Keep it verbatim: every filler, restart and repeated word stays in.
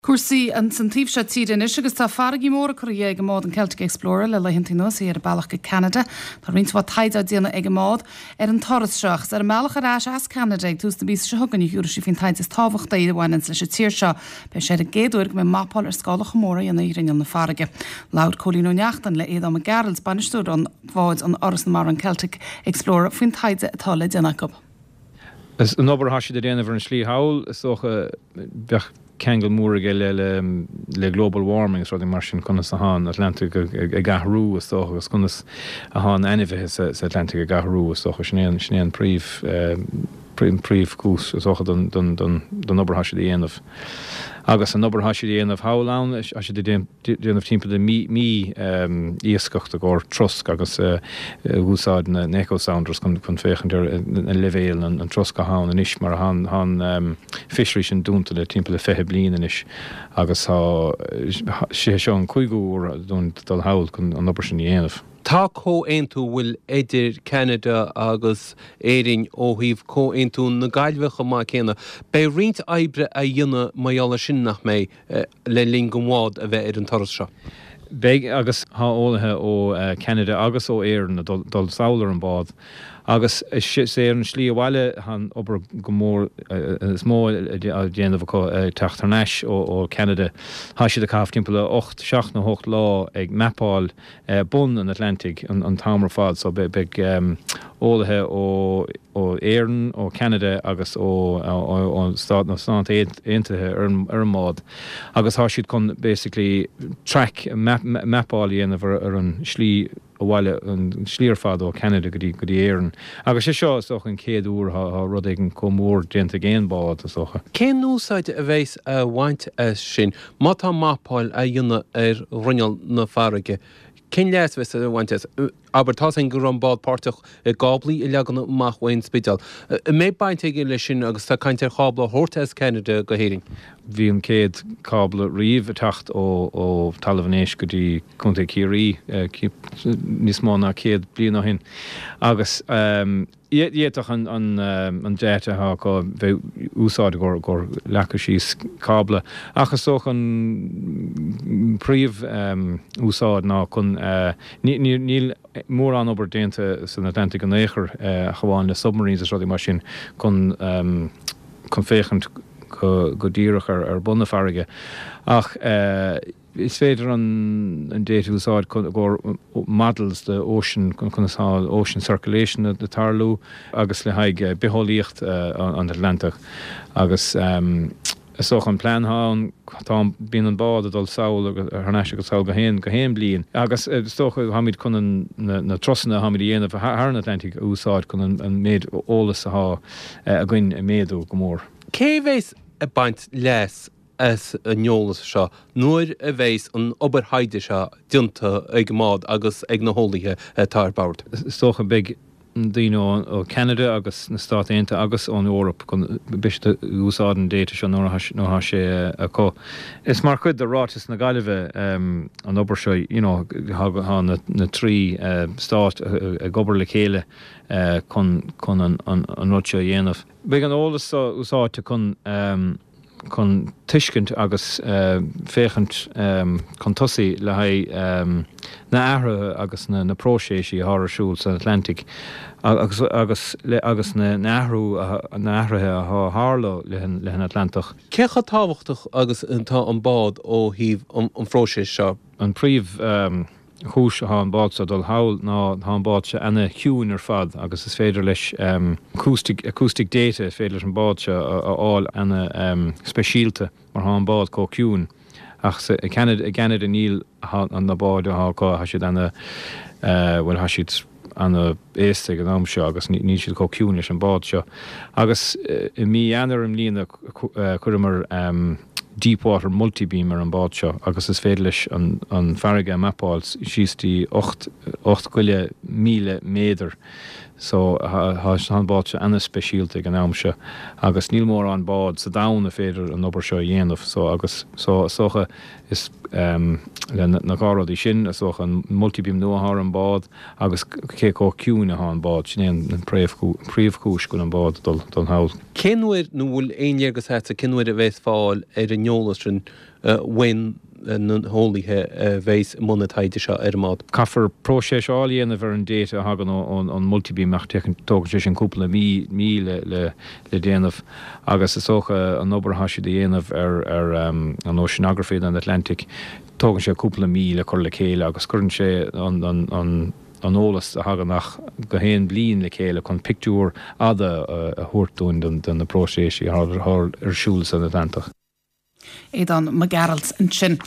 Cúrsaí an san taobh seo tíre anois agus tá farraigí móra curtha ag an mbád an Celtic Explorer le laethanta anuas í ar a bealach go Ceanada. Tá roinnt mhaith taighde á déanamh ag an mbád ar an turas seo agus ar an mbealach ar ais as Ceanada ag tús na míosa seo chugainn a thiúrfaidh sí faoin taighde is tábhachtaí a bhaineann leis an tír seo. Beidh sé ar an gcéad uair go mbeidh mapáil ar scála chomh mór á dhéanamh ar ghrinneall na farraige. Labhair Cóilín Ó Neachtain le Aodhán Mac Gearailt bainisteoir an bháid an Áras na Mara an Celtic Explorer faoin taighde atá le déanamh acu. Is an obair atá siad a déanamh ar an slí thall is dócha bheadh ceangal mór aige le le le global warming is rudaí mar sin conas atá an Atlantic ag athrú is dócha agus conas atá na hainmhithe sa sa Atlantic ag athrú is dócha sin é sin é an príomh príomhchúis is dócha don don don don obair atá siad a dhéanamh. Agus an obair atá siad a dhéanamh thall ann tá siad ag déanamh timpeall de mí mí iascaireacht i gcomhair trosc agus úsáid na echo sounders chun chun féachaint ar an leibhéal an trosc atá ann anois mar tá an fishery sin dúnta le timpeall le fiche bliain anois agus tá sé seo an cúigiú huair dúinn dul thall chun an obair sin a dhéanamh. Tá comhaontú bhfuil idir Canada agus Éirinn ó thaobh comhaontú na Gaillimhe chomh maith céanna. Beidh roinnt oibre á dhéanamh mar gheall sin nach mbeidh le linn don bhád a bheith ar an turas seo. Beidh agus tá eolaithe ó Canada agus ó Éirinn ag dul sall ar an bád. Agus is é an slí abhaile an obair go mór is mó á déanamh acu teacht thar n-ais ó Canada. Tá siad ag caitheamh timpeall le ocht seacht nó ocht lá ag mapáil bun an Atlantic an t-am ar fad, so beidh eolaithe ó ó Éirinn, ó Canada agus ó ó Stát na Stát Aontaithe ar ar an mbád. Agus tá siad chun basically track mapáil a dhéanamh ar an slí abhaile an slí ar fad ó Canada go dtí go dtí Éirinn. Agus sé seo is dócha an chéad uair atá rud éigin chomh mór déanta ag aon bád is dócha. Cén úsáid a bheas á bhaint as sin má tá mapáil á dhéanamh ar ghrinneall na farraige? Cén leas a bheas á bhaint as? Abair tá sin go raibh an bád páirteach i gcáblaí a leagan amach ón Spidéal. An mbeidh baint aige leis sin agus tá caint ar chábla a thabhairt as Canada go hÉirinn. Bhí an chéad cábla riamh ag teacht ó ó Talamh an Éisc go dtí Contae Chiarraí níos mó ná céad bliain ó shin. Agus d'fhéadfadh an an an data atá acu bheith úsáid gur gur leagadh síos cábla. Ach is dócha an príomh úsáid ná chun níl mórán obair déanta san Atlantic in aon chor ach amháin le submarines is rudaí mar sin chun chun féachaint go go díreach ar ar bun na farraige. Ach is féidir an an data úsáid chun go models the ocean chun chun ocean circulation ag tarlú agus le haghaidh bitheolaíocht an Atlantach agus is dócha an plean ann tá bíonn an bád ag dul sall thar n-ais agus sall gach aon gach aon bliain. Agus is dócha táimid chun an na turasanna táimid a dhéanamh thar an Atlantic a úsáid chun an an méid eolas atá againn a méadú go mór. Cé bheas ag baint leas as an eolas seo nuair a bheas an obair thaighde seo déanta ag an mbád agus ag na heolaithe atá ar bord. Is dócha beidh daoine ó Canada agus na Stát Aontaithe agus ón Eoraip chun beidh úsáid an data seo nuair atá sé acu. Is mar chuid de ráiteas na Gaillimhe an obair seo you know, tá na, na trí stát ag obair le chéile chun chun an, an, an rud seo a dhéanamh. Beidh an eolas seo úsáidte chun um, chun tuiscint agus uh, féachaint um, chun tosaigh le haghaidh um, na hathruithe agus na, na próiseas atá ar siúl san Atlantic agus, agus, le, agus na athrú na athruithe atá tarlú le, le an Atlantach. Cé chomh tábhachtach agus atá an bád ó thaobh an, an phróisis seo? An príomh um, chúis atá an bád seo dul thall ná tá an bád seo ana-chiúin ar fad agus is féidir leis um, acoustic, acoustic data is féidir leis an bád seo a fháil ana um, speisialta mar tá an bád chomh ciúin. Ach sa Canada i Canada níl an na báid atá acu tá siad ana uh, well tá siad ana-aosta ag an am seo agus níl siad chomh ciúin leis an bád seo. Agus uh, i mí Eanáir i mbliana chuireamar um, deep water multibeam ar an bád seo agus is féidir leis an, an farraige mapáil síos dtí ocht ocht goile míle méadar. So tá an bád seo ana-speisialta ag an am seo agus níl mórán bád sa domhan a féidir an obair seo a dhéanamh so agus so is dócha is le na dhá rudaí sin is dócha an multibeam nua atá ar an bád agus cé chomh ciúin atá an bád sin é an príomhchúis go bhfuil an bád dul dul thall. Cén uair nó bhfuil aon léargas agatsa cén uair a bheas fáil ar an eolas sin uaidh na heolaithe a bheas i mbun na taighde seo ar an mbád. Caithfear próiseáil a dhéanamh ar an data a thagann ón multibeam ach tógann sé sin cúpla mí mí le le le déanamh agus is dócha an obair atá siad a dhéanamh ar ar an oceanography den Atlantic tógann sé cúpla mí le cur le chéile agus cuireann sé an an an an eolas a thagann ach go haon bliain le chéile chun pictiúr fada a thabhairt dúinn de na próiseas atá ar siúl san Atlantach. Aodán Mac Gearailt ansin.